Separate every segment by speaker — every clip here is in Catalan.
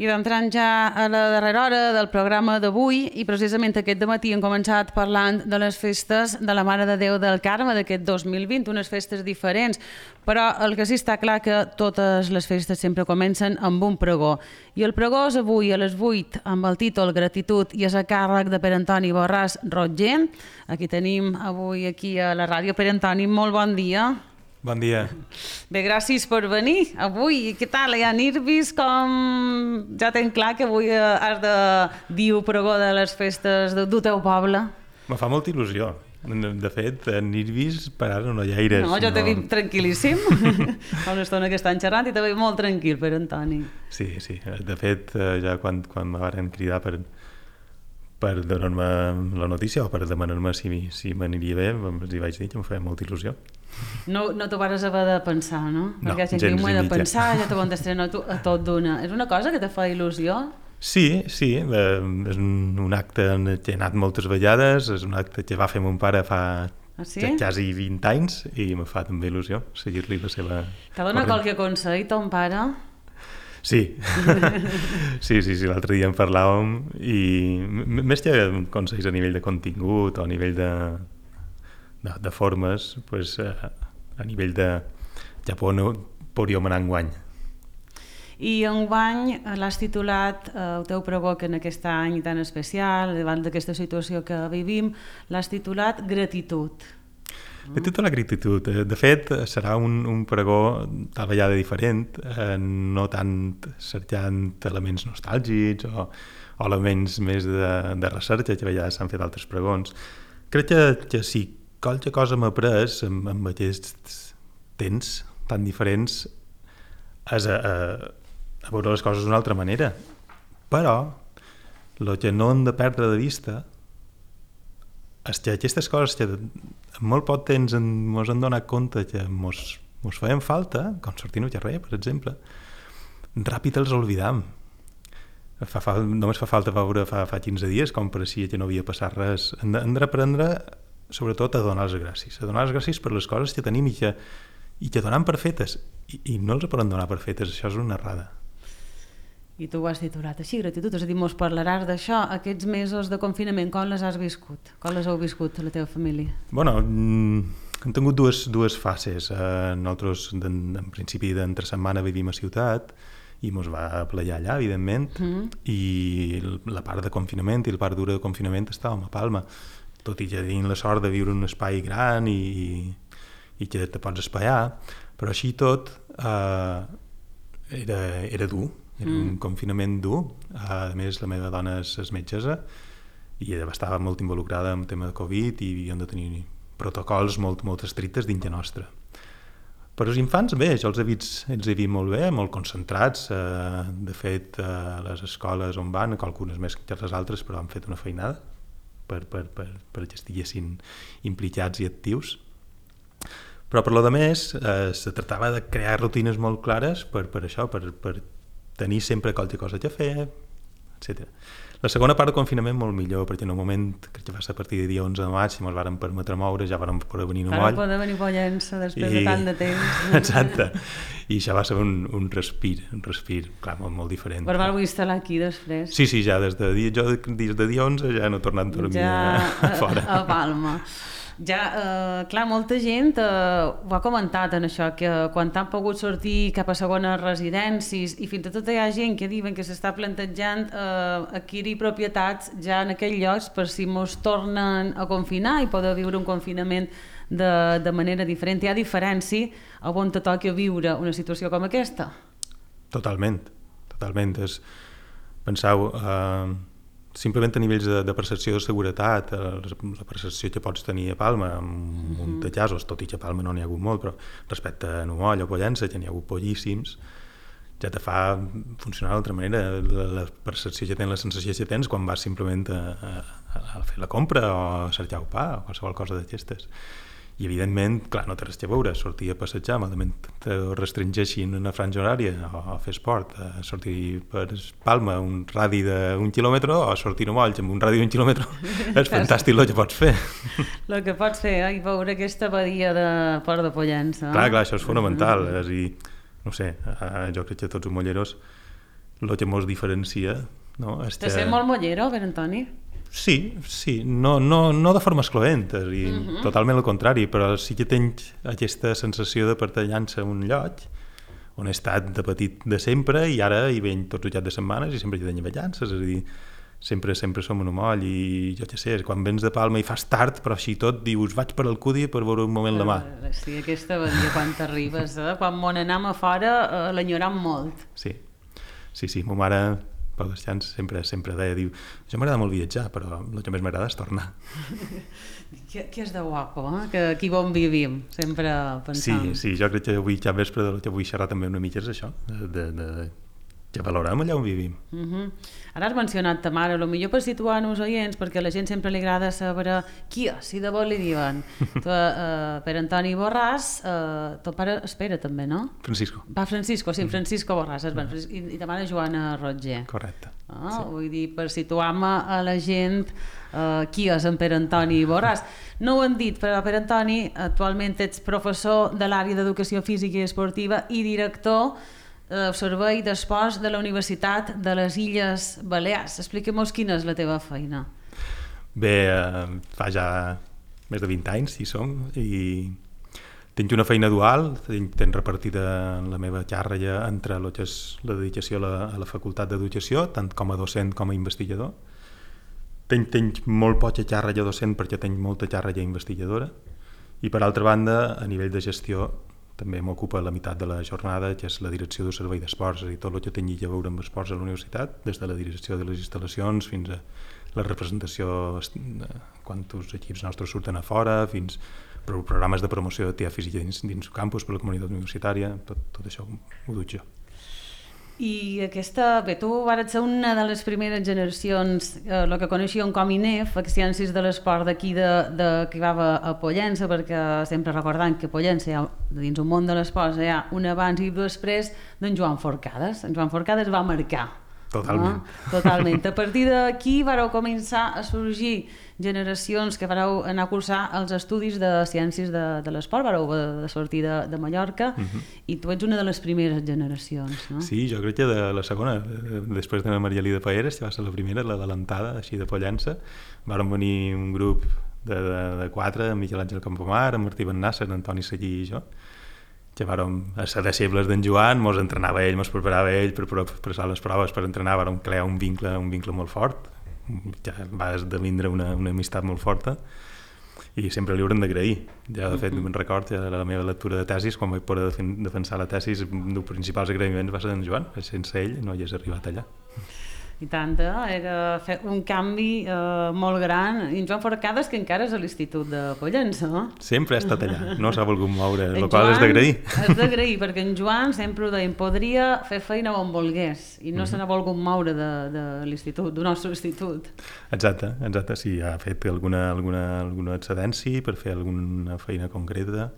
Speaker 1: I entrant ja a la darrera hora del programa d'avui, i precisament aquest dematí hem començat parlant de les festes de la Mare de Déu del Carme d'aquest 2020, unes festes diferents, però el que sí està clar que totes les festes sempre comencen amb un pregó. I el pregó és avui a les 8 amb el títol Gratitud i és a càrrec de Pere Antoni Borràs Rotger. Aquí tenim avui aquí a la ràdio. Pere Antoni, molt bon dia.
Speaker 2: Bon dia.
Speaker 1: Bé, gràcies per venir avui. Què tal? Hi ha nervis? Com... Ja tenc clar que avui has de dir el pregó de les festes del teu poble.
Speaker 2: Me fa molta il·lusió. De fet, nervis per ara no hi ha aires.
Speaker 1: No, jo t'he vist tranquil·líssim. Fa una estona que estan xerrant i t'he vist molt tranquil, Pere Antoni.
Speaker 2: Sí. De fet, ja quan me van cridar per donar-me la notícia o per demanar-me si m'aniria bé, els hi vaig dir que em feia molta il·lusió.
Speaker 1: No t'ho vas haver de pensar, no?
Speaker 2: No,
Speaker 1: perquè gent diu, m'ho he de pensar, ja t'ho contestaré a tot d'una. És una cosa que te fa il·lusió?
Speaker 2: Sí, és un acte en què he anat moltes vegades, és un acte que va fer mon pare fa quasi 20 anys i me fa també il·lusió seguir-li la seva...
Speaker 1: T'ha donat qualque consell, ton pare?
Speaker 2: Sí, l'altre dia en parlàvem i més que consells a nivell de contingut o a nivell de formes, pues, a nivell de Japó no podríem anar enguany.
Speaker 1: I enguany l'has titulat, el teu pregó que en aquest any tan especial, davant d'aquesta situació que vivim, l'has titulat Gratitud.
Speaker 2: Tota la gratitud. De fet, serà un pregó tal vegada diferent, no tant cercant elements nostàlgics o elements més de recerca, que a vegades s'han fet altres pregons. Crec que si qualque cosa m'ha pres amb aquests temps tan diferents és a veure les coses d'una altra manera. Però el que no hem de perdre de vista és que aquestes coses que en molt poc temps ens hem donat compte que ens feien falta, com sortir al carrer, per exemple, ràpid els oblidam. Només fa falta veure fa 15 dies com pareixia que no havia passat res. Hem d'aprendre, sobretot, a donar les gràcies. A donar les gràcies per les coses que tenim i que donem per fetes. I no els podem donar per fetes, això és una errada.
Speaker 1: I tu ho has titulat així, gratitud, és a dir, mos parlaràs d'això, aquests mesos de confinament, com les has viscut? Com les heu viscut a la teva família?
Speaker 2: Bueno, hem tingut dues fases. Nosaltres, en principi, d'entre setmana vivim a ciutat i mos va plegar allà, evidentment, i la part de confinament i la part dura de confinament estàvem a Palma, tot i que tenim la sort de viure en un espai gran i que te pots espaiar, però així tot era dur. Era un confinament dur. A més, la meva dona és metgessa i ella estava molt involucrada en el tema de Covid i havíem de tenir protocols molt estrictes dintre nostre. Per als infants, bé, jo els he vist molt bé, molt concentrats. De fet, a les escoles on van, algunes més que les altres, però han fet una feinada perquè estiguessin implicats i actius. Però per lo de més, se tractava de crear rutines molt clares per això, per tenir sempre qualque cosa a fer, etc. La segona part del confinament molt millor, perquè en un moment, crec que va ser a partir de dia 11 de maig, si ens vàrem permetre moure, ja vàrem poder venir a Moll.
Speaker 1: Vàrem poder venir a Pollença després de tant de temps.
Speaker 2: Exacte. I això va ser un respir, clar, molt diferent.
Speaker 1: Però vau instal·lar aquí després?
Speaker 2: Sí, ja des de dia 11 ja no he tornat a dormir fora.
Speaker 1: A Palma. Ja, clar, molta gent ho ha comentat en això, que quan han pogut sortir cap a segones residències i fins i tot hi ha gent que diuen que s'està plantejant adquirir propietats ja en aquells llocs per si mos tornen a confinar i poder viure un confinament de manera diferent. Hi ha diferència a on te toqui viure una situació com aquesta?
Speaker 2: Totalment. Penseu, simplement a nivells de percepció de seguretat, la percepció que pots tenir a Palma, amb un de casos, tot i que a Palma no n'hi ha hagut molt, però respecte a Numoll o Pollença, que n'hi ha hagut pollíssims, ja te fa funcionar d'altra manera. La percepció que tens, la sensació que tens quan vas simplement a fer la compra o a cercar el pa o qualsevol cosa d'aquestes. I evidentment, clar, no té res a veure sortir a passejar, malament te restringeixin una franja horària o fer esport, sortir per Palma un radi d'1 quilòmetre o sortir a Molls amb un radi d'1 quilòmetre. És fantàstic el que pots fer.
Speaker 1: El que pots fer, i veure aquesta badia de Port de Pollença.
Speaker 2: Clar, això és fonamental. És a dir, no sé, jo crec que tots els molleros el que ens diferencia, no?
Speaker 1: Te sé molt mollero, Per Antoni?
Speaker 2: Sí, no de forma excloent, totalment el contrari, però sí que tens aquesta sensació de pertanyança a un lloc on he estat de petit de sempre i ara hi venc tots els caps de setmanes i sempre hi tenc ballances, és a dir, sempre som en un moll i jo què sé, quan vens de Palma i fas tard, però així tot dius vaig per Alcúdia per veure un moment la mà.
Speaker 1: Sí, aquesta badia quan t'arribes, quan m'on anem a fora l'enyoram molt.
Speaker 2: Sí, ma mare Pau Descans sempre deia, diu, jo m'agrada molt viatjar, però el que més m'agrada és tornar.
Speaker 1: Que és de guapo, que aquí on vivim, sempre pensant.
Speaker 2: Sí, jo crec que avui ja vespre del que vull xerrar també una mica és això, que valorem allà on vivim.
Speaker 1: Ara has mencionat ta mare, potser per situar-nos oients, perquè a la gent sempre li agrada saber qui és, si de bo li diuen. Per Antoni Borràs, ton pare espera també, no?
Speaker 2: Francisco.
Speaker 1: Francisco Borràs, i ta mare Joana Roger.
Speaker 2: Correcte.
Speaker 1: Vull dir, per situar-me a la gent qui és en Per Antoni Borràs. No ho hem dit, però Per Antoni, actualment ets professor de l'àrea d'Educació Física i Esportiva i director del Servei d'Esports de la Universitat de les Illes Balears. Expliquem-nos quina és la teva feina.
Speaker 2: Bé, fa ja més de 20 anys hi som i tinc una feina dual, tenc repartida la meva càrrega entre el que és la dedicació a la Facultat d'Educació, tant com a docent com a investigador. Tenc molt poca càrrega docent perquè tenc molta càrrega investigadora i per altra banda, a nivell de gestió, també m'ocupa la meitat de la jornada, que és la direcció del servei d'esports, és a dir, tot el que tingui a veure amb esports a la universitat, des de la direcció de les instal·lacions fins a la representació quan els equips nostres surten a fora, fins programes de promoció d'activitat física dins el campus per la comunitat universitària, tot això ho duc jo.
Speaker 1: I tu vas ser una de les primeres generacions, el que coneixíem com INEF, Ciències de l'Esport d'aquí que va a Pollença, perquè sempre recordant que a Pollença, dins un món de l'esport, hi ha un abans i després d'en Joan Forcades. En Joan Forcades va marcar.
Speaker 2: Totalment.
Speaker 1: Totalment. A partir d'aquí vareu començar a sorgir generacions que vareu anar a cursar els estudis de Ciències de l'Esport, vareu de sortir de Mallorca, i tu ets una de les primeres generacions, no?
Speaker 2: Sí, jo crec que de la segona, després de la Maria Elida Paeres, que va ser la primera, l'adelantada, així de Pollença, varen venir un grup de 4, Miquel Àngel Campomar, en Martí Bennasser, Antoni Seguí i jo, que vàrem ser deixebles d'en Joan, mos entrenava ell, mos preparava ell per passar les proves, per entrenar, vàrem crear un vincle molt fort, ja va esdevindre una amistat molt forta i sempre li haurem d'agrair. Ja, de fet, me'n record, la meva lectura de tesis, quan vaig poder defensar la tesis, un dels principals agraïments va ser d'en Joan, sense ell no hagués arribat allà.
Speaker 1: I tant, era fer un canvi molt gran. I en Joan Forcades, que encara és a l'Institut de Pollença, no?
Speaker 2: Sempre ha estat allà, no s'ha volgut moure, el qual és d'agrair.
Speaker 1: És d'agrair, perquè en Joan sempre ho deien, podria fer feina on volgués, i no se n'ha volgut moure de l'institut, del nostre institut.
Speaker 2: Exacte, sí, ha fet alguna excedència per fer alguna feina concreta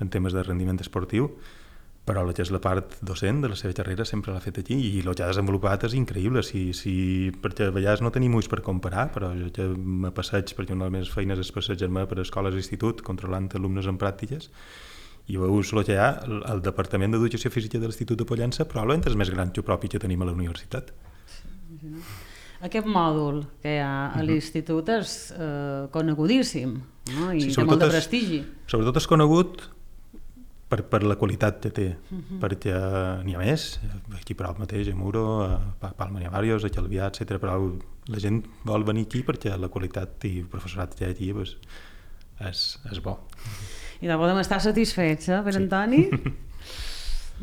Speaker 2: en temes de rendiment esportiu, però el que és la part docent de la seva carrera sempre l'ha fet aquí i el que ha desenvolupat és increïble, perquè a vegades no tenim ulls per comparar, però jo que me passeig, perquè una de les meves feines és passejar-me per escoles i institut controlant alumnes en pràctiques, i veus el que hi ha, el Departament d'Educació Física de l'Institut de Pollença probablement és més gran que el propi que tenim a la universitat.
Speaker 1: Aquest mòdul que hi ha a l'institut és conegudíssim, no? I té molt de prestigi.
Speaker 2: Sobretot és conegut per la qualitat que té, perquè n'hi ha més, aquí prop mateix, a Muro, a Palma n'hi ha diversos, a Calvià, etc. Però la gent vol venir aquí perquè la qualitat i el professorat que hi ha aquí és bo.
Speaker 1: I de podem estar satisfets, Per Antoni?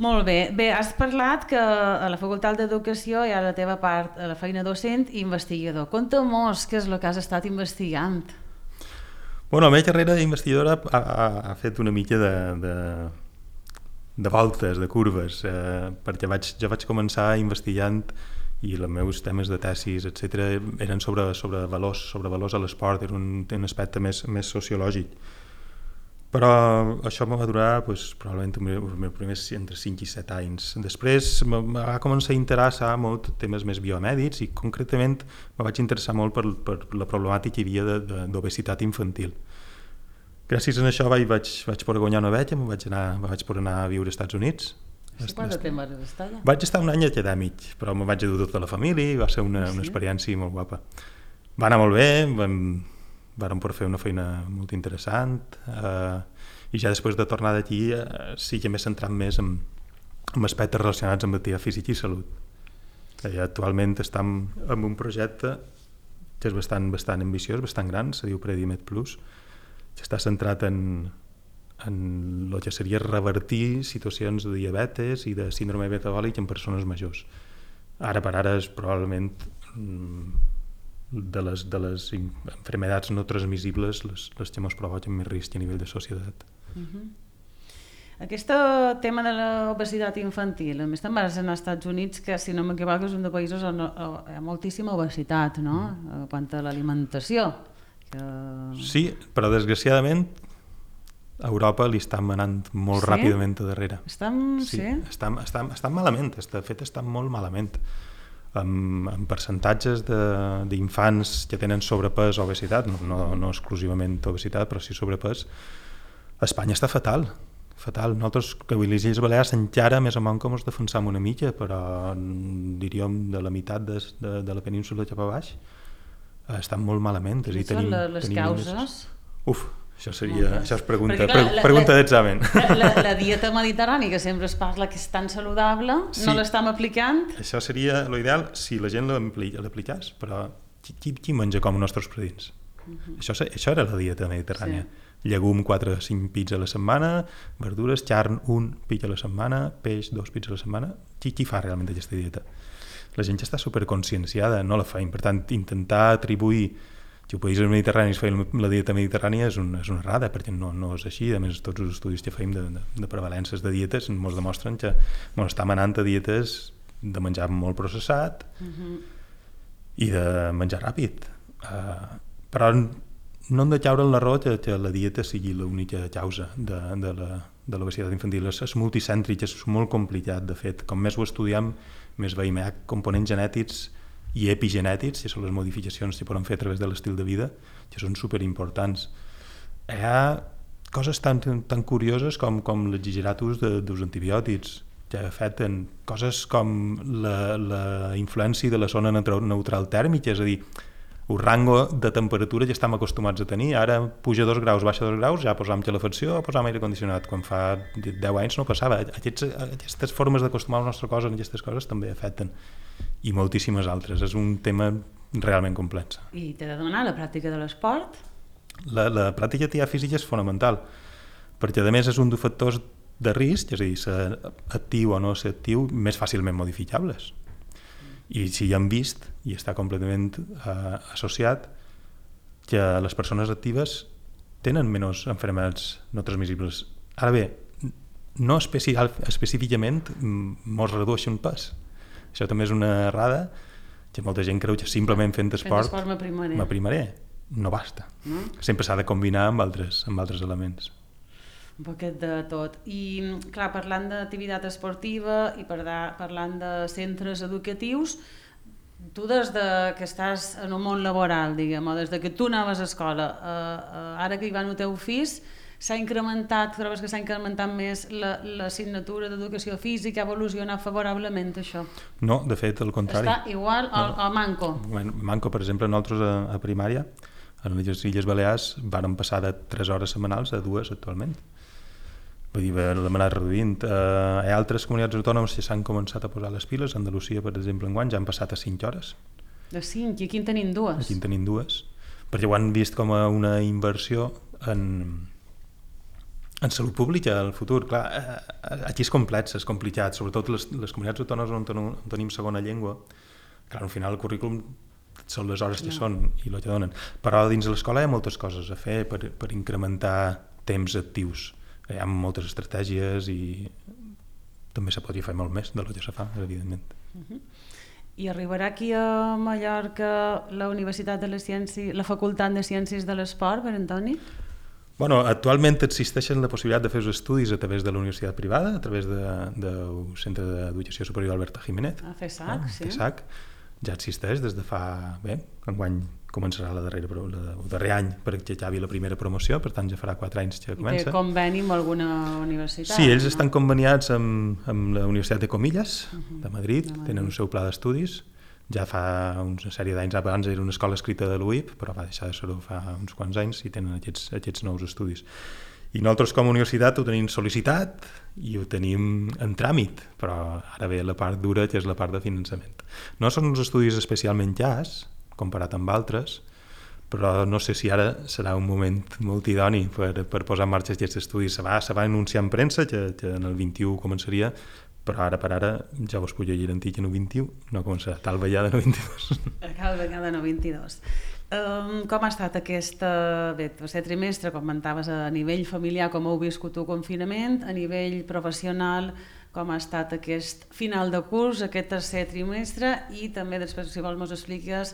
Speaker 1: Molt bé. Bé, has parlat que a la Facultat d'Educació hi ha la teva part, la feina docent i investigador. Conta-mos què és el que has estat investigant.
Speaker 2: La meva carrera d'investigadora ha fet una mica de voltes, de curves, perquè jo vaig començar investigant i els meus temes de tesis, etc., eren sobre valors a l'esport, era un aspecte més sociològic. Però això em va durar probablement els primers entre 5 i 7 anys. Després em va començar a interessar molt temes més biomèdics i concretament me vaig interessar molt per la problemàtica que hi havia d'obesitat infantil. Gràcies a això vaig poder guanyar una beca, me vaig poder anar a viure als Estats Units
Speaker 1: Sí, quant de temps vas estar allà?
Speaker 2: Vaig estar un any acadèmic, però me vaig dur tota la família i va ser una experiència molt guapa. Va anar molt bé, vàrem poder fer una feina molt interessant i ja després de tornar d'aquí sí que m'he centrat més en aspectes relacionats amb activitat física i salut. Actualment estem en un projecte que és bastant ambiciós, bastant gran, se diu Predimed Plus, que està centrat en el que seria revertir situacions de diabetes i de síndrome metabòlic en persones majors. Ara per ara és probablement de les enfermedats no transmissibles les que ens provoquen més risc a nivell de societat.
Speaker 1: Aquest tema de l'obesitat infantil, a més te'n vas als Estats Units, que si no m'equivoco és un dels països on hi ha moltíssima obesitat, no? Quant a l'alimentació.
Speaker 2: Sí, però desgraciadament a Europa li estan anant molt ràpidament a darrere. Estan malament, de fet estan molt malament. Amb percentatges d'infants que tenen sobrepès o obesitat, no exclusivament obesitat, però sí sobrepès, Espanya està fatal. Nosaltres, que a les Illes Balears encara més o menys com ens defensam una mica, però diríem de la meitat de la península cap a baix estan molt malament.
Speaker 1: Quines són les causes?
Speaker 2: Això és pregunta d'examen.
Speaker 1: La dieta mediterrània, que sempre es parla que és tan saludable, no l'estem aplicant?
Speaker 2: Això seria l'ideal si la gent l'apliqués, però qui menja com els nostres predins? Això era la dieta mediterrània. Llegum 4 o 5 pits a la setmana, verdures, carn 1 pit a la setmana, peix 2 pits a la setmana. Qui fa realment aquesta dieta? La gent ja està superconscienciada, no la feim. Per tant, intentar atribuir que els països mediterranis feien la dieta mediterrània és una errada, perquè no és així. A més, tots els estudis que feim de prevalències de dietes ens demostren que estem anant a dietes de menjar molt processat i de menjar ràpid. Però no hem de caure en l'error que la dieta sigui l'única causa de l'obesitat infantil. És multicèntric, és molt complicat, de fet. Com més ho estudiem, més veiem components genètics i epigenètics, que són les modificacions que poden fer a través de l'estil de vida, que són superimportants. Hi ha coses tan curioses com l'exagerat ús dels antibiòtics, que afecten coses com la influència de la zona neutral tèrmica, és a dir, el rango de temperatura ja estem acostumats a tenir. Ara puja 2 graus, baixa 2 graus, ja posam calefacció o posam aire condicionat. Quan fa 10 anys no passava. Aquestes formes d'acostumar el nostre cos a aquestes coses també afecten. I moltíssimes altres. És un tema realment complex.
Speaker 1: I t'he de demanar la pràctica de l'esport?
Speaker 2: La pràctica d'activitat física és fonamental, perquè a més és un dels factors de risc, és a dir, ser actiu o no ser actiu, més fàcilment modificables. I si ja hem vist, i està completament associat, que les persones actives tenen menys malalties no transmissibles. Ara bé, no específicament mos redueixen pes. Això també és una errada, que molta gent creu que simplement fent esport m'aprimaré. No basta. Sempre s'ha de combinar amb altres elements.
Speaker 1: Un poquet de tot. I, clar, parlant d'activitat esportiva i parlant de centres educatius, tu des que estàs en un món laboral, diguem, o des que tu anaves a escola, ara que hi va el teu fill, trobes que s'ha incrementat més l'assignatura d'educació física, ha evolucionat favorablement això?
Speaker 2: No, de fet, al contrari.
Speaker 1: Està igual o manco?
Speaker 2: Manco, per exemple, nosaltres a primària, a les Illes Balears, vàrem passar de 3 hores setmanals a 2 actualment. Vull dir, l'hem anat reduint. Hi ha altres comunitats autònomes que s'han començat a posar les piles. A Andalusia, per exemple, enguany ja han passat a 5 hores.
Speaker 1: De 5? I aquí en tenim 2?
Speaker 2: Aquí en tenim 2. Perquè ho han vist com a una inversió en salut pública al futur. Clar, aquí és complex, és complicat, sobretot les comunitats autònomes on tenim segona llengua. Clar, al final el currículum són les hores que són i el que donen. Però dins de l'escola hi ha moltes coses a fer per incrementar temps actius. Hi ha moltes estratègies i també se podria fer molt més del que se fa, evidentment.
Speaker 1: I arribarà aquí a Mallorca la Universitat de les Ciències, la Facultat de Ciències de l'Esport, per Antoni?
Speaker 2: Bueno, actualment existeixen la possibilitat de fer els estudis a través de la universitat privada, a través del Centre d'Educació Superior Alberta Jiménez.
Speaker 1: A FESAC, sí.
Speaker 2: FESAC ja existeix des de fa, enguany començarà el darrer any perquè acabi la primera promoció, per tant ja farà 4 anys que comença.
Speaker 1: I té conveni amb alguna universitat?
Speaker 2: Sí, ells estan conveniats amb la Universitat de Comillas, de Madrid, tenen un seu pla d'estudis. Ja fa una sèrie d'anys, abans era una escola escrita de l'UIP, però va deixar de ser-ho fa uns quants anys i tenen aquests nous estudis. I nosaltres com a universitat ho tenim sol·licitat i ho tenim en tràmit, però ara ve la part dura, que és la part de finançament. No són uns estudis especialment llars, comparat amb altres, però no sé si ara serà un moment molt idoni per posar en marxa aquests estudis. Se va anunciar en premsa que en el 21 començaria, però ara per ara ja us puc garantir que no 21 no començarà, tal vegada no 22.
Speaker 1: Tal vegada no 22. Com ha estat tercer trimestre, comentaves a nivell familiar, com heu viscut el confinament, a nivell professional, com ha estat aquest final de curs, aquest tercer trimestre, i també després, si vols, ens expliques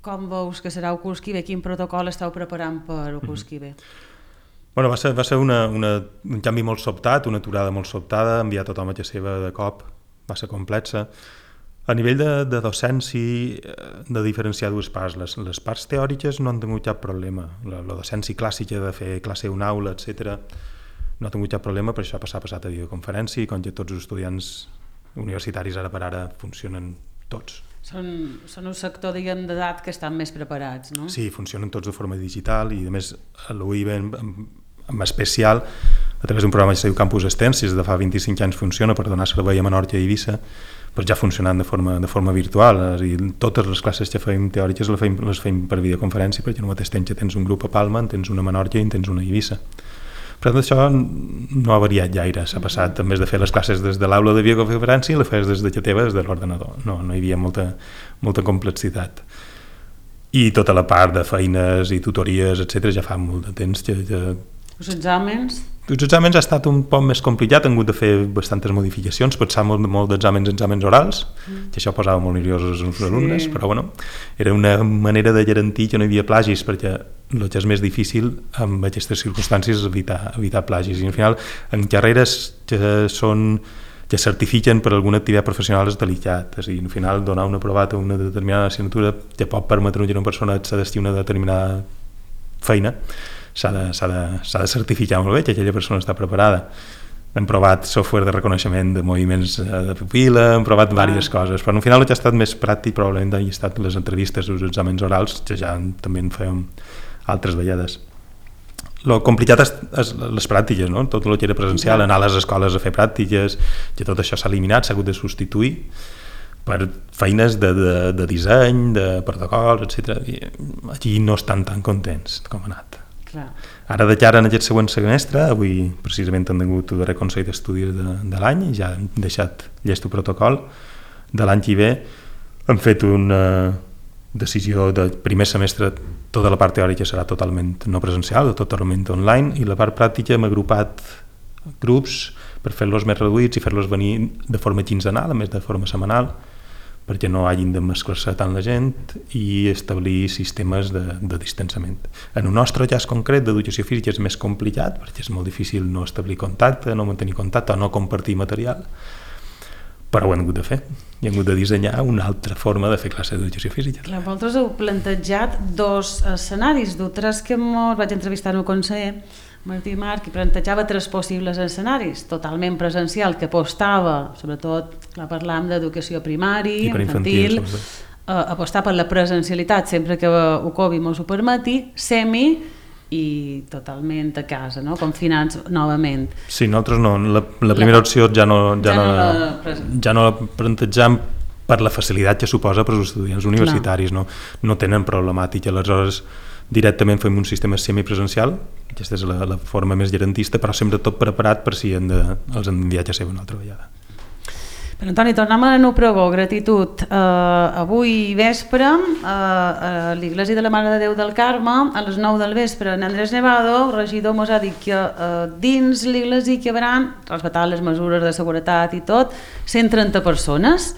Speaker 1: com veus que serà el curs que ve, quin protocol esteu preparant per el curs que ve?
Speaker 2: Bueno, va ser un canvi molt sobtat, una aturada molt sobtada, enviar tothom a casa seva de cop, va ser complexa. A nivell de docència, de diferenciar dues parts. Les parts teòriques no han tingut cap problema. La docència clàssica de fer classe a una aula, etc., no ha tingut cap problema, per això ha passat a videoconferència, i com que tots els estudiants universitaris ara per ara funcionen tots.
Speaker 1: Són un sector, diguem, d'edat que estan més preparats, no?
Speaker 2: Sí, funcionen tots de forma digital i, a més, a l'UIB en especial, a través d'un programa que es diu Campus Extens, des de fa 25 anys funciona per donar servei a Menorca i Eivissa, però ja funcionant de forma virtual. Totes les classes que fèiem teòriques les fèiem per videoconferència, perquè no mateix temps que tens un grup a Palma, en tens una a Menorca i en tens una a Eivissa. Per tant, això no ha variat gaire, s'ha passat, en vez de fer les classes des de l'aula de videoconferència, les feies des de teva, des de l'ordenador. No hi havia molta complexitat. I tota la part de feines i tutories, etc., ja fa molt de temps que...
Speaker 1: Els exàmens?
Speaker 2: Els exàmens ha estat un poc més complicat, han hagut de fer bastantes modificacions, pensar molt d'exàmens orals, que això posava molt nerviosos els alumnes, però bueno, era una manera de garantir que no hi havia plagis, perquè el que és més difícil amb aquestes circumstàncies és evitar plagis. I al final, en carreres que certifiquen per alguna activitat professional és delicat. És a dir, al final, donar un aprovat a una determinada assignatura que pot permetre que una persona s'adesti a una determinada feina, s'ha de certificar molt bé que aquella persona està preparada. Hem provat software de reconeixement de moviments de pupil·la, hem provat diverses coses, però al final el que ha estat més pràctic probablement han estat les entrevistes, els exàmens orals, que ja també en fèiem altres vegades. El complicat és les pràctiques, no? Tot el que era presencial, anar a les escoles a fer pràctiques, que tot això s'ha eliminat, s'ha hagut de substituir per feines de disseny, de protocols, etc. Aquí no estan tan contents com ha anat.
Speaker 1: Clar.
Speaker 2: Ara de cara en aquest següent semestre, avui precisament han tingut el darrer Consell d'Estudis de l'any, ja han deixat llest el protocol de l'any que ve, han fet una decisió de primer semestre, tota la part teòrica serà totalment no presencial, totalment online, i la part pràctica hem agrupat grups per fer-los més reduïts i fer-los venir de forma quinzenal, a més de forma setmanal, perquè no hagin de mesclar-se tant la gent, i establir sistemes de distanciament. En el nostre cas concret d'educació física és més complicat, perquè és molt difícil no establir contacte, no mantenir contacte o no compartir material, però ho hem hagut de fer i hem hagut de dissenyar una altra forma de fer classe d'educació física.
Speaker 1: Clar, vosaltres heu plantejat dos escenaris, d'altres que vaig entrevistar en el conseller Martí Marc, i plantejava 3 possibles escenaris: totalment presencial, que apostava, sobretot parlàvem d'educació primària, infantil, apostar per la presencialitat sempre que el Covid mos ho permeti, semi i totalment a casa, no? Confinats novament.
Speaker 2: Sí, nosaltres no, la primera opció ja no la plantejam per la facilitat que suposa per als estudiants universitaris, no tenen problemàtica, aleshores directament fem un sistema semipresencial, aquesta és la forma més garantista, però sempre tot preparat per si els han enviat a ser una altra vegada.
Speaker 1: Però Antoni, tornem a el pregó, gratitud. Avui vespre a l'Iglésia de la Mare de Déu del Carme, a les 9 del vespre, en Andrés Nevado, el regidor mos ha dit que dins l'Iglésia hi haurà, respectant les mesures de seguretat i tot, 130 persones,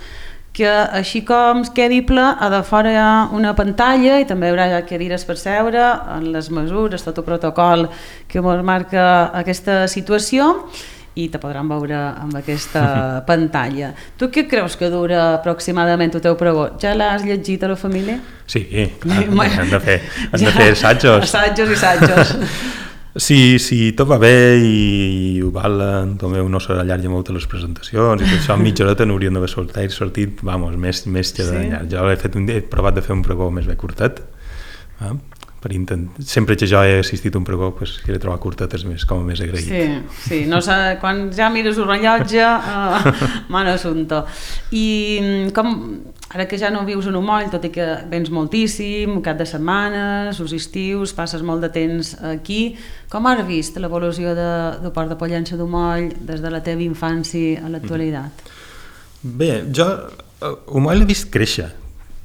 Speaker 1: que així com es quedi ple, a de fora hi ha una pantalla i també hi haurà cadires per seure, en les mesures, tot el protocol que ens marca aquesta situació, i te podran veure amb aquesta pantalla. Tu què creus que dura aproximadament el teu pregó? Ja l'has llegit a la família?
Speaker 2: Sí, han de fer assajos.
Speaker 1: Assajos i assajos.
Speaker 2: Si tot va bé i ho valen, també no s'allarga molt les presentacions i tot això, mitja horeta n'hauríem d'haver sortit, més que de llarg. Jo he provat de fer un pregó més bé curtet, sempre que jo he assistit a un pregó, he de trobar curtetes com més agraït.
Speaker 1: Sí, no sé, quan ja mires un rellotge, mal assumpte. I com, ara que ja no vius en Umoll, tot i que vens moltíssim, cap de setmanes, els estius, passes molt de temps aquí, com has vist l'evolució del Port de Pollença d'Umoll des de la teva infància a l'actualitat?
Speaker 2: Bé, jo Umoll l'he vist créixer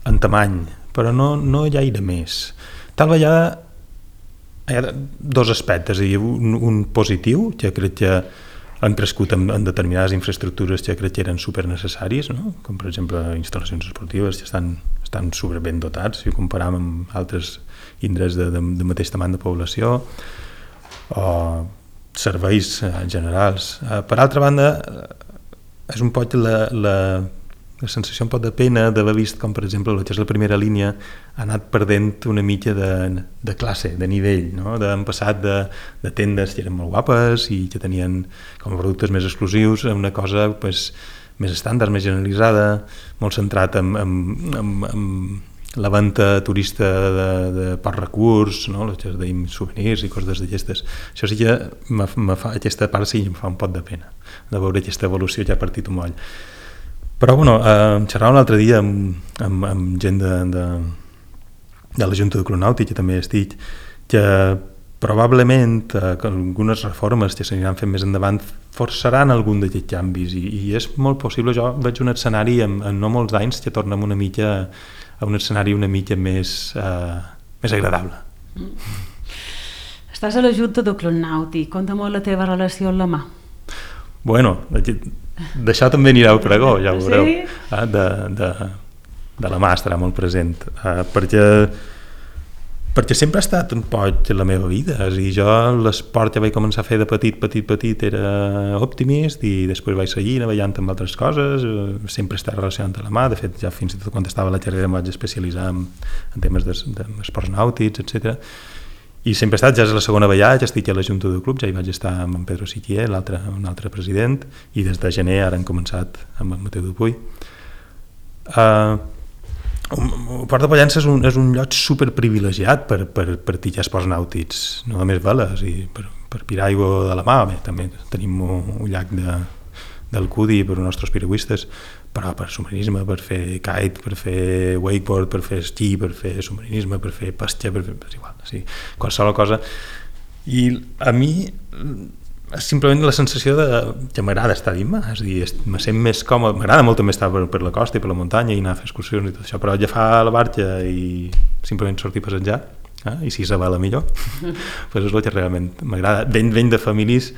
Speaker 2: en tamany, però no gaire més. Tal vegada hi ha dos aspectes, un positiu, que crec que han crescut en determinades infraestructures que crec que eren supernecessaris, no? Com per exemple instal·lacions esportives que estan superben dotats si ho comparem amb altres indrets de mateix tamany de població, o serveis generals. Per altra banda, és un poc la sensació un poc de pena d'haver vist com, per exemple, el que és la primera línia ha anat perdent una mica de classe, de nivell, no? Han passat de tendes que eren molt guapes i que tenien com a productes més exclusius a una cosa més estàndard, més generalitzada, molt centrat en la venda turista de poc recurs, no? El que es deim souvenirs i coses d'aquestes. Això sí que aquesta part sí que em fa un poc de pena, de veure aquesta evolució que ha partit un moll. Però xerrava un altre dia amb gent de la Junta de Cronàutic, que també estic, que probablement algunes reformes que s'aniran fent més endavant forçaran algun d'aquests canvis i és molt possible. Jo veig un escenari en no molts anys que tornem una mica a un escenari una mica més agradable.
Speaker 1: Estàs a la Junta de Cronàutic, conta molt la teva relació amb la mà.
Speaker 2: Bueno, d'això també anirà al pregó, ja ho veureu. De la mà estarà molt present, perquè sempre ha estat un poc la meva vida. Jo l'esport que vaig començar a fer de petit era Optimist i després vaig seguir navegallant amb altres coses, sempre està relacionat amb la mà. De fet, ja fins i tot quan estava a la carrera em vaig especialitzar en temes d'esports nàutics, etc. I sempre he estat, ja és la segona vegada que estic a la Junta de Club, ja hi vaig estar amb en Pedro Siquier, un altre president, i des de gener ara hem començat amb el Mateu Dupuy. El Port de Pollença és un lloc superprivilegiat per practicar esports nàutics, no només veles, i per pirar aigua de la mà. Bé, també tenim un llac del Cudi per als nostres piragüistes, però per submarinisme, per fer kite, per fer wakeboard, per fer esquí, per fer submarinisme, per fer pesca, és igual, sí, qualsevol cosa. I a mi és simplement la sensació que m'agrada estar dins, és a dir, me sent més còmode. M'agrada molt també estar per la costa i per la muntanya i anar a fer excursions i tot això, però agafar la barca i simplement sortir a passejar, i si és a vela millor, és el que realment m'agrada. Venc de famílies.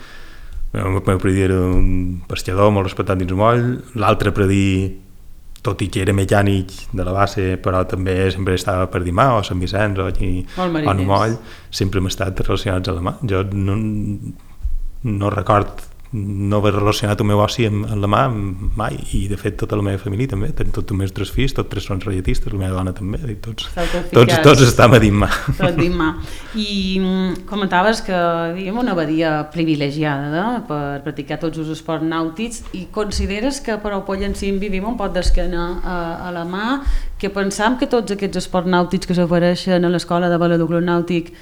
Speaker 2: El meu predí era un pescador molt respectat dins Umoll, l'altre predí, tot i que era mecànic de la base, però també sempre estava per Dimà o Sant Vicenç o Umoll, sempre hem estat relacionats a la mà. Jo no record no haver relacionat el meu oci amb la mà mai, i de fet tota la meva família també, tots els meus 3 fills, tots 3 són relletistes, la meva dona també, tots estem a dins mà.
Speaker 1: I comentaves que vivíem una badia privilegiada per practicar tots els esports nàutics, i consideres que per al Pollencí vivim un pot d'esquena a la mà, que pensam que tots aquests esports nàutics que s'apareixen a l'escola de vela de club nàutic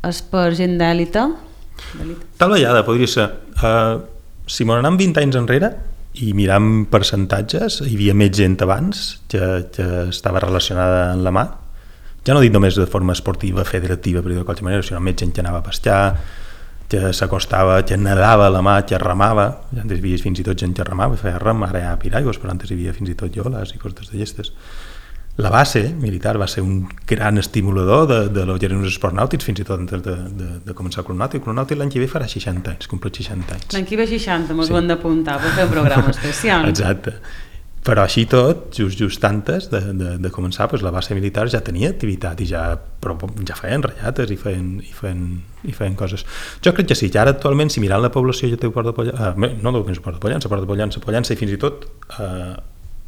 Speaker 1: és per gent d'èlite?
Speaker 2: Tal vegada podria ser. Si m'ho anem 20 anys enrere i miram percentatges, hi havia més gent abans que estava relacionada amb la mà, ja no dic només de forma esportiva, federativa, per dir de qualsevol manera, sinó més gent que anava a pescar, que s'acostava, que nedava a la mà, que remava. Antes hi havia fins i tot gent que remava, feia rem, ara hi ha piraigos, però antes hi havia fins i tot ioles i coses d'aquestes. La base militar va ser un gran estimulador de lo que eren els esports nàutics, fins i tot antes de començar el Club Nàutic. El Club Nàutic l'any que ve farà 60 anys, compleix 60 anys.
Speaker 1: L'any que ve 60, mos ho hem d'apuntar per fer un programa especial.
Speaker 2: Exacte. Però així tot, just antes de començar, doncs la base militar ja tenia activitat i ja feien rallates i feien coses. Jo crec que sí, que ara actualment, si mirant la població ja té Port de Pollença, no només Port de Pollença i fins i tot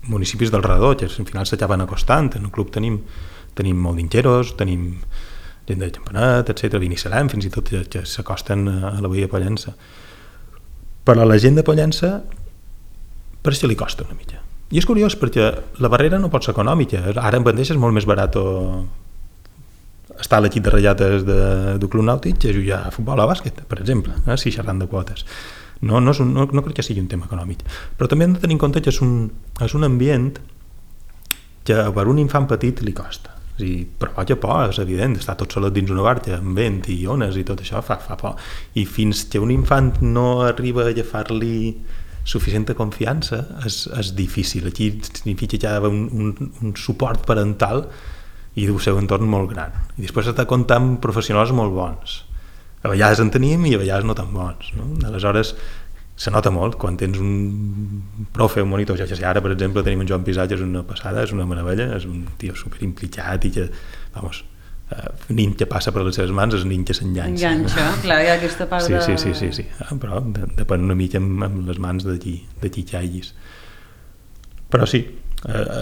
Speaker 2: municipis del redor, que al final s'acaben acostant. En el club tenim molt d'ingeros, tenim gent de Campanet, etc. Vinissalem, fins i tot que s'acosten a la veïa de Pollença. Però a la gent de Pollença per això li costa una mica. I és curiós perquè la barrera no pot ser econòmica. Ara en mateix és molt més barat estar a l'equip de rallates del Club Nàutic que jugar a futbol o a bàsquet, per exemple, si xerrant de quotes. No crec que sigui un tema econòmic. Però també hem de tenir en compte que és un ambient que per un infant petit li costa. És a dir, provoca por, és evident, estar tot solet dins una barca amb vent i ones i tot això fa por. I fins que un infant no arriba a agafar-li suficient confiança és difícil. Aquí significa que hi ha un suport parental i del seu entorn molt gran. I després has de comptar amb professionals molt bons. A vegades en tenim i a vegades no tan bons. No? Aleshores, se nota molt quan tens un profe, un monitor. Ja sé, ara, per exemple, tenim un Joan Pisà, que és una passada, és una meravella, és un tio superimplicat i que, vamos, nin que passa per les seves mans és nin que s'enganxa.
Speaker 1: Clar, hi ha aquesta part de...
Speaker 2: Sí. Però depèn una mica amb les mans de qui caiguis. Però sí,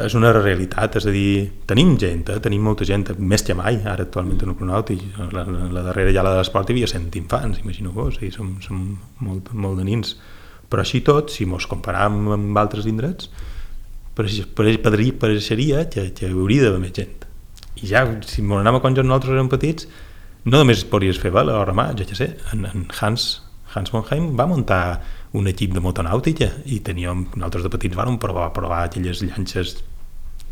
Speaker 2: és una realitat, és a dir, tenim gent, tenim molta gent, més que mai, ara actualment en el Cronàutic, la darrera ja la de l'esport hi havia 100 infants, imagino-vos, som molt de nins. Però així tot, si mos comparam amb altres indrets, pareixeria que hauria d'haver més gent. I ja, si m'ho anàvem quan nosaltres érem petits, no només podries fer vela o remar, jo què sé, en Hans Monheim va muntar un equip de motonàutica i nosaltres de petits vam provar aquelles llanxes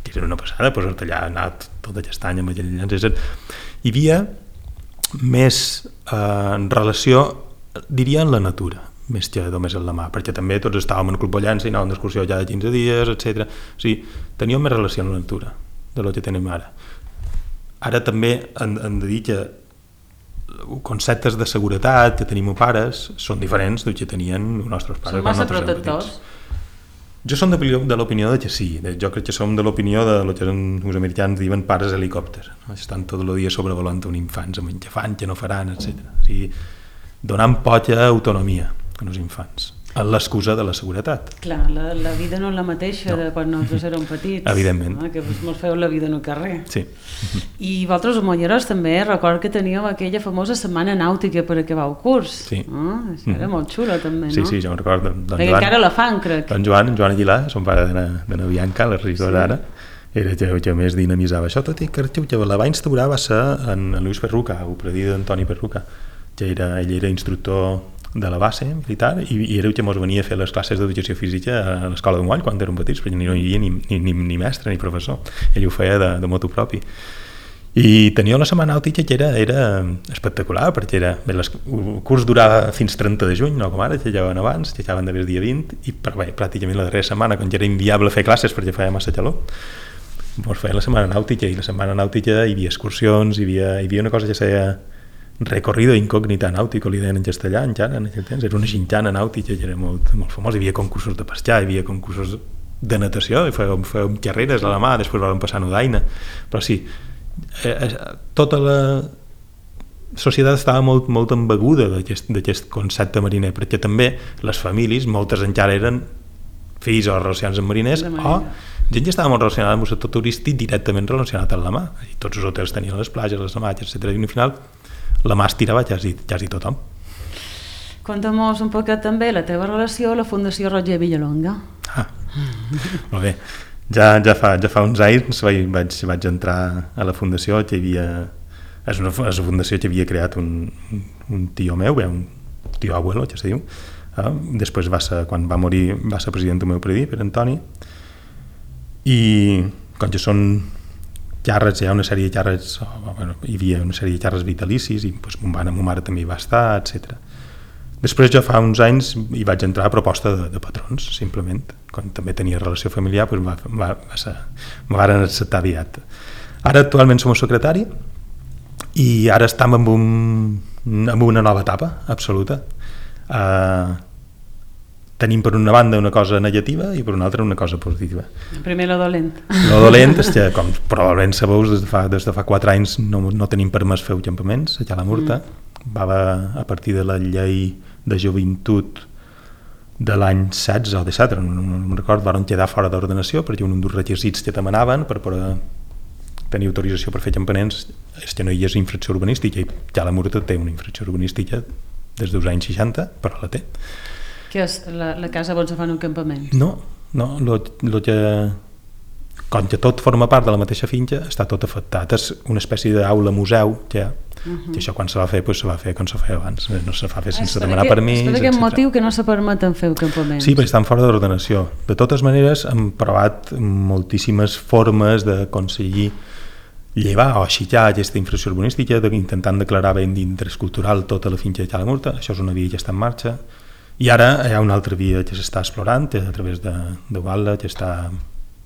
Speaker 2: que eren una passada, posar-te allà, anar tot aquest any amb aquelles llanxes. Hi havia més relació, diria, en la natura, més que només en la mà, perquè també tots estàvem en el Club Pollença i anàvem d'excursió ja de 15 dies, etc. O sigui, teníem més relació amb la natura de lo que tenim ara. Ara també hem de dir que conceptes de seguretat que tenim pares són diferents del que tenien els nostres pares.
Speaker 1: Són massa protectors?
Speaker 2: Jo som de l'opinió de que sí. Jo crec que som de l'opinió de lo que els americans diuen pares helicòpter. Estan tot el dia sobrevolant un infants amb què fan, què no faran, etc. O sigui, donant poca autonomia als infants, amb l'excusa de la seguretat.
Speaker 1: Clar, la vida no és la mateixa de quan nosaltres érem petits.
Speaker 2: Evidentment.
Speaker 1: Que mos feu la vida en el carrer.
Speaker 2: Sí.
Speaker 1: I vosaltres, molleros, també record que teníeu aquella famosa setmana nàutica per acabar el curs.
Speaker 2: Sí.
Speaker 1: Això era molt xulo, també, no?
Speaker 2: Sí, jo me'n recordo.
Speaker 1: Perquè encara la fan, crec.
Speaker 2: En Joan Aguilar, son pare d'Anna Bianca, la regidora d'ara, era que més dinamitzava això, tot i que la va instaurar va ser en Lluís Perruca, el predí d'Antoni Perruca, que ell era instructor de la base militar i era el que ens venia a fer les classes d'educació física a l'escola de Moll quan érem petits, perquè no hi havia ni mestre ni professor, ell ho feia de motu propi. I tenia una setmana nàutica que era espectacular, perquè el curs durava fins 30 de juny, no com ara, que llegaven abans, que acaben d'haver el dia 20, i pràcticament la darrera setmana, quan ja era inviable fer classes perquè feia massa calor, doncs feia la setmana nàutica, i la setmana nàutica hi havia excursions, hi havia una cosa que seia recorrido incògnita nàutico, li deien en castellà encara en aquell temps, era una gintana nàutica que era molt, molt famosa, hi havia concursos de pescar, hi havia concursos de natació, fèiem carreres a la mà, després vam passar a Nudaina, però sí, tota la societat estava molt embeguda d'aquest concepte mariner, perquè també les famílies, moltes encara eren fills o relacionats amb mariners, o gent que estava molt relacionada amb el sector turístic directament relacionat amb la mà, i tots els hotels tenien les platges, les amatges, etc. I al final la mà es tirava quasi tothom.
Speaker 1: Conta'm-nos un poquet també la teva relació a la Fundació Roger Villalonga.
Speaker 2: Molt bé. Ja fa uns anys vaig entrar a la fundació, que és una fundació que havia creat un tio meu, un tio abuelo, que se diu. Després, quan va morir, va ser president del meu predí, per Antoni, i com que són càrrecs, hi ha una sèrie de càrrecs, hi havia una sèrie de càrrecs vitalicis, i ma mare també hi va estar, etc. Després, jo fa uns anys hi vaig entrar a proposta de patrons, simplement. Quan també tenia relació familiar, me van acceptar aviat. Ara actualment som el secretari i ara estem en una nova etapa absoluta. tenim per una banda una cosa negativa i per una altra una cosa positiva.
Speaker 1: Primer lo dolent.
Speaker 2: Lo dolent és que, com probablement sabeu, des de fa 4 anys no tenim permès fer campaments a Cala Murta. Va haver, a partir de la llei de joventut de l'any 16 o 17, no recordo, van quedar fora d'ordenació perquè un dels requisits que demanaven per poder tenir autorització per fer campaments és que no hi hagués infracció urbanística, i Cala Murta té una infracció urbanística des dels anys 60, però la té.
Speaker 1: Que és la casa on se fan un campament?
Speaker 2: No, lo que, com que tot forma part de la mateixa finca, està tot afectat. És una espècie d'aula museu que això quan se va fer, se va fer com se feia abans, no se fa fer sense demanar permís.
Speaker 1: És per aquest motiu que no se permeten fer campaments.
Speaker 2: Sí, perquè estan fora d'ordenació. De totes maneres, hem provat moltíssimes formes d'aconseguir llevar o aixecar aquesta infracció urbanística, intentant declarar bé d'interès cultural tota la finca de Cala Murta. Això és una via que està en marxa. I ara hi ha una altra via que s'està explorant a través de Guala, que està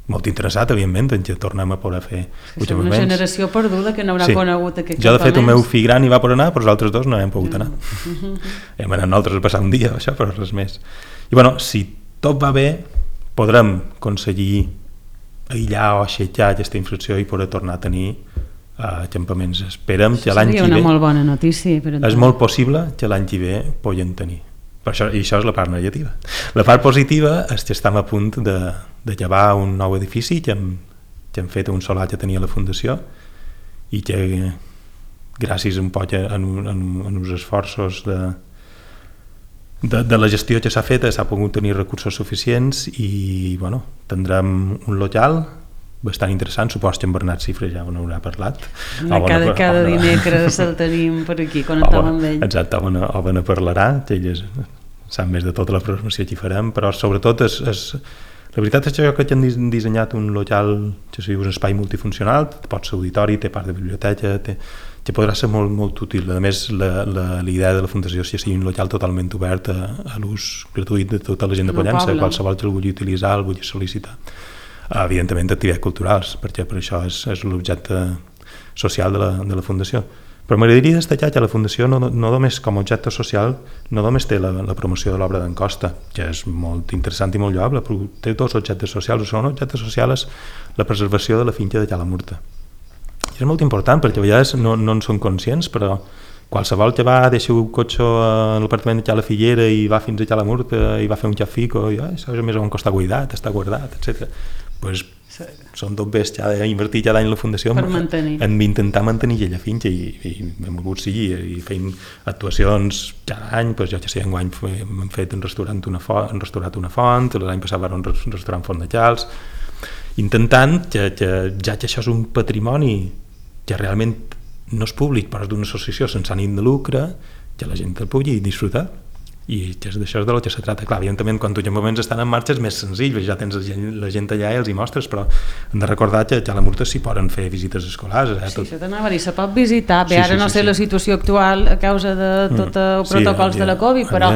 Speaker 2: molt interessat, evidentment, en què tornem a poder fer
Speaker 1: campaments. Una generació perduda que no haurà conegut aquests campaments.
Speaker 2: Jo, de fet, el meu fill gran hi va per anar, però els altres dos no hem pogut anar. Hem anat nosaltres a passar un dia, això, però res més. I, bueno, si tot va bé, podrem aconseguir aïllar o aixecar aquesta infracció i poder tornar a tenir campaments. Esperem que l'any que ve...
Speaker 1: Seria una molt bona notícia.
Speaker 2: És molt possible que l'any que ve puguem tenir. I això és la part negativa. La part positiva és que estem a punt de llevar un nou edifici que hem fet un solar que tenia la Fundació i que gràcies un poc a uns esforços de la gestió que s'ha fet s'ha pogut tenir recursos suficients i bueno, tindrem un local bastant interessant, suposo que en Bernat Cifre ja n'haurà parlat.
Speaker 1: Cada dimecres el tenim per aquí, connectem amb ell.
Speaker 2: Exacte, o ne parlarà, que ell sap més de tota la programació que hi farem, però sobretot la veritat és que hem dissenyat un local que és un espai multifuncional, pot ser auditori, té part de biblioteca, que podrà ser molt, molt útil. A més, la idea de la Fundació és que sigui un local totalment obert a l'ús gratuït de tota la gent de Pollença, qualsevol que el vulgui utilitzar, el vulgui sol·licitar. Evidentment activitats culturals, perquè per això és l'objecte social de la Fundació. Però m'agradaria destacar que la Fundació no només com a objecte social no només té la promoció de l'obra d'en Costa, que és molt interessant i molt lloable, però té dos objectes socials. El segon objecte social és la preservació de la finca de Cala Murta. I és molt important perquè a vegades no en són conscients, però qualsevol que va deixar un cotxe a l'apartament de Cala Figuera i va fins a Cala Murta i va fer un xafico i això més o menys està cuidat, està guardat, etc. Pues són tot bé invertir cada any la Fundació en intentar mantenir aquella finca i hem volgut seguir i fent actuacions cada any, jo que sé, enguany hem fet un restaurant una font, l'any passat va un restaurant Font de Chals, intentant que ja que això és un patrimoni que realment no és públic però és d'una associació sense ànim de lucre, que la gent el pugui disfrutar. I d'això és de lo que se trata. Clar, evidentment, quan tu campaments estan en marxa és més senzill, ja tens la gent allà i els hi mostres, però hem de recordar que a Cala Murta s'hi poden fer visites escolars.
Speaker 1: Sí, això t'anava a dir, se pot visitar. Bé, ara no sé la situació actual a causa de tots els protocols de la Covid, però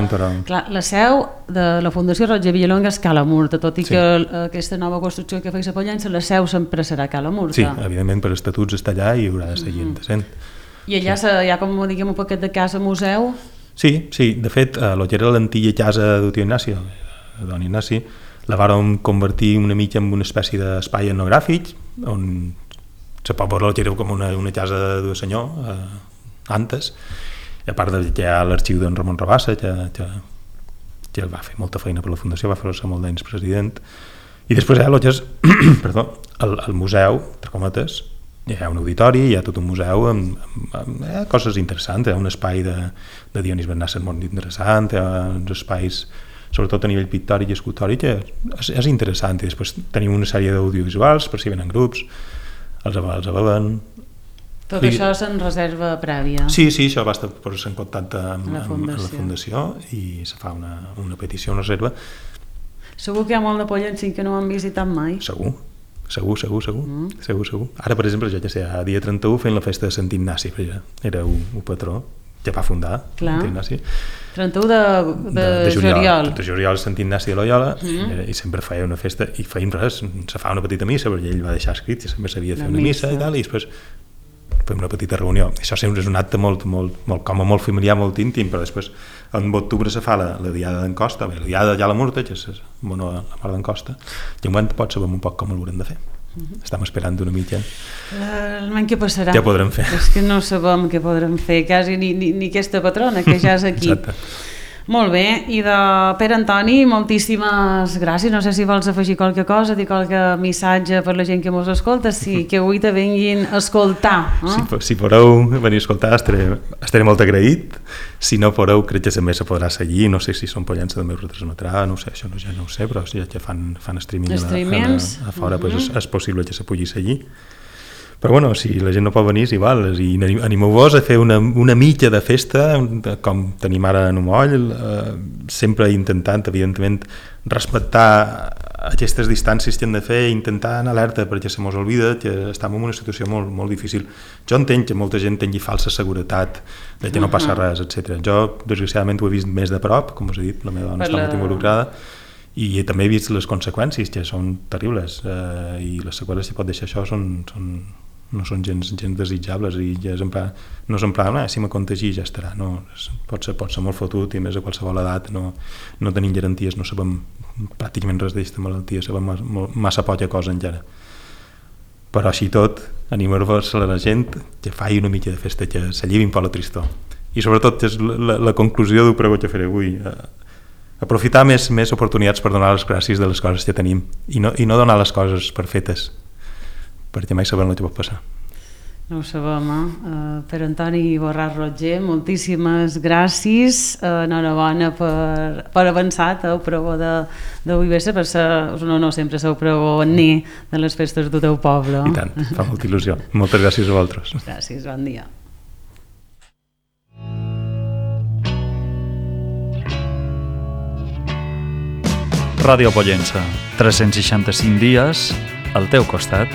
Speaker 1: clar, la seu de la Fundació Roger Villalonga és Cala Murta, tot i que aquesta nova construcció que feia a Pollença, la seu sempre serà Cala Murta.
Speaker 2: Sí, evidentment, per estatuts està allà i haurà de seguir sent.
Speaker 1: I allà hi ha com, diguem, un paquet de casa museu.
Speaker 2: Sí, de fet, el que era l'antiga casa del tio Ignaci, don Ignasi, la vàrem convertir una mica en una espècie d'espai etnogràfic, on se pot veure que era com una casa de senyor, antes, i a part que hi ha l'arxiu d'en Ramon Rabassa, que va fer molta feina per la Fundació, va fer-se molt d'anys president, i després hi ha el que és el museu, entre cometes, hi ha un auditori, hi ha tot un museu amb coses interessants, hi ha un espai de Dionís Bernassa molt interessant, hi ha uns espais sobretot a nivell pictòric i escultòric que és interessant, i després tenim una sèrie d'audiovisuals per si venen grups, els veuen.
Speaker 1: Tot això és en reserva prèvia?
Speaker 2: Sí, això va estar posar en contacte amb la Fundació i se fa una petició, una reserva.
Speaker 1: Segur que hi ha molt de Pollença que no ho han visitat mai?
Speaker 2: Segur. Ara, per exemple, jo ja sé, a dia 31 fent la festa de Sant Ignasi, era un patró que va fundar Sant Ignasi.
Speaker 1: 31 de juliol.
Speaker 2: De juliol, Sant Ignasi de Loyola, i sempre feia una festa, i feien res, se fa una petita missa, perquè ell va deixar escrit que sempre s'havia de fer una missa i tal, i després fem una petita reunió. Això sempre és un acte molt molt familiar, molt íntim, però després en octubre se fa la diada d'en Costa, la diada ja la Murta, que és la mare d'en Costa, i en moment pot saber un poc com ho haurem de fer. Estem esperant una mica.
Speaker 1: Almenys què passarà?
Speaker 2: Què podrem fer?
Speaker 1: És que no sabem què podrem fer, quasi ni aquesta patrona, que ja és aquí.
Speaker 2: Exacte.
Speaker 1: Molt bé, i de Pere Antoni, moltíssimes gràcies. No sé si vols afegir qualque cosa, dir qualque missatge per la gent que mos escolta, que avui te vinguin a escoltar.
Speaker 2: Si podeu venir a escoltar, estaré molt agraït. Si no podeu, crec que també se podrà seguir. No sé si són Pollença també ho retransmetrà, no sé, això ja no ho sé, però si ja fan streaming a fora, pues és possible que se pugui seguir. Però bueno, si la gent no pot venir, és igual, i animeu-vos a fer una mitja de festa, com tenim ara en Moll, sempre intentant, evidentment, respectar aquestes distàncies que hem de fer, intentar anar alerta perquè se mos oblida que estem en una situació molt, molt difícil. Jo entenc que molta gent tingui falsa seguretat de que no passa res, etc. Jo, desgraciadament, ho he vist més de prop, com us he dit, la meva dona està molt involucrada, i també he vist les conseqüències, que són terribles, i les seqüeles que pot deixar això no són gens desitjables, i ja no és en plan, si me contagi ja estarà, no, pot ser molt fotut, i més a qualsevol edat no tenim garanties, no sabem pràcticament res d'aquesta malaltia, sabem massa poca cosa encara. Però així tot, animar-vos a la gent que faci una mica de festa, que s'allivin per la tristor, i sobretot és la conclusió del pregó que faré avui, aprofitar més oportunitats per donar les gràcies de les coses que tenim, i no donar les coses per fetes, perquè mai sabem el que pot passar.
Speaker 1: No ho sabem, Per Antoni Borràs Roger, moltíssimes gràcies, enhorabona per avançat el pregó d'avui vespre, per ser un honor sempre ser el pregoner de les festes del teu poble.
Speaker 2: I tant, fa molta il·lusió. Moltes gràcies a vosaltres.
Speaker 1: Gràcies, bon dia.
Speaker 3: Ràdio Pollença, 365 dies al teu costat.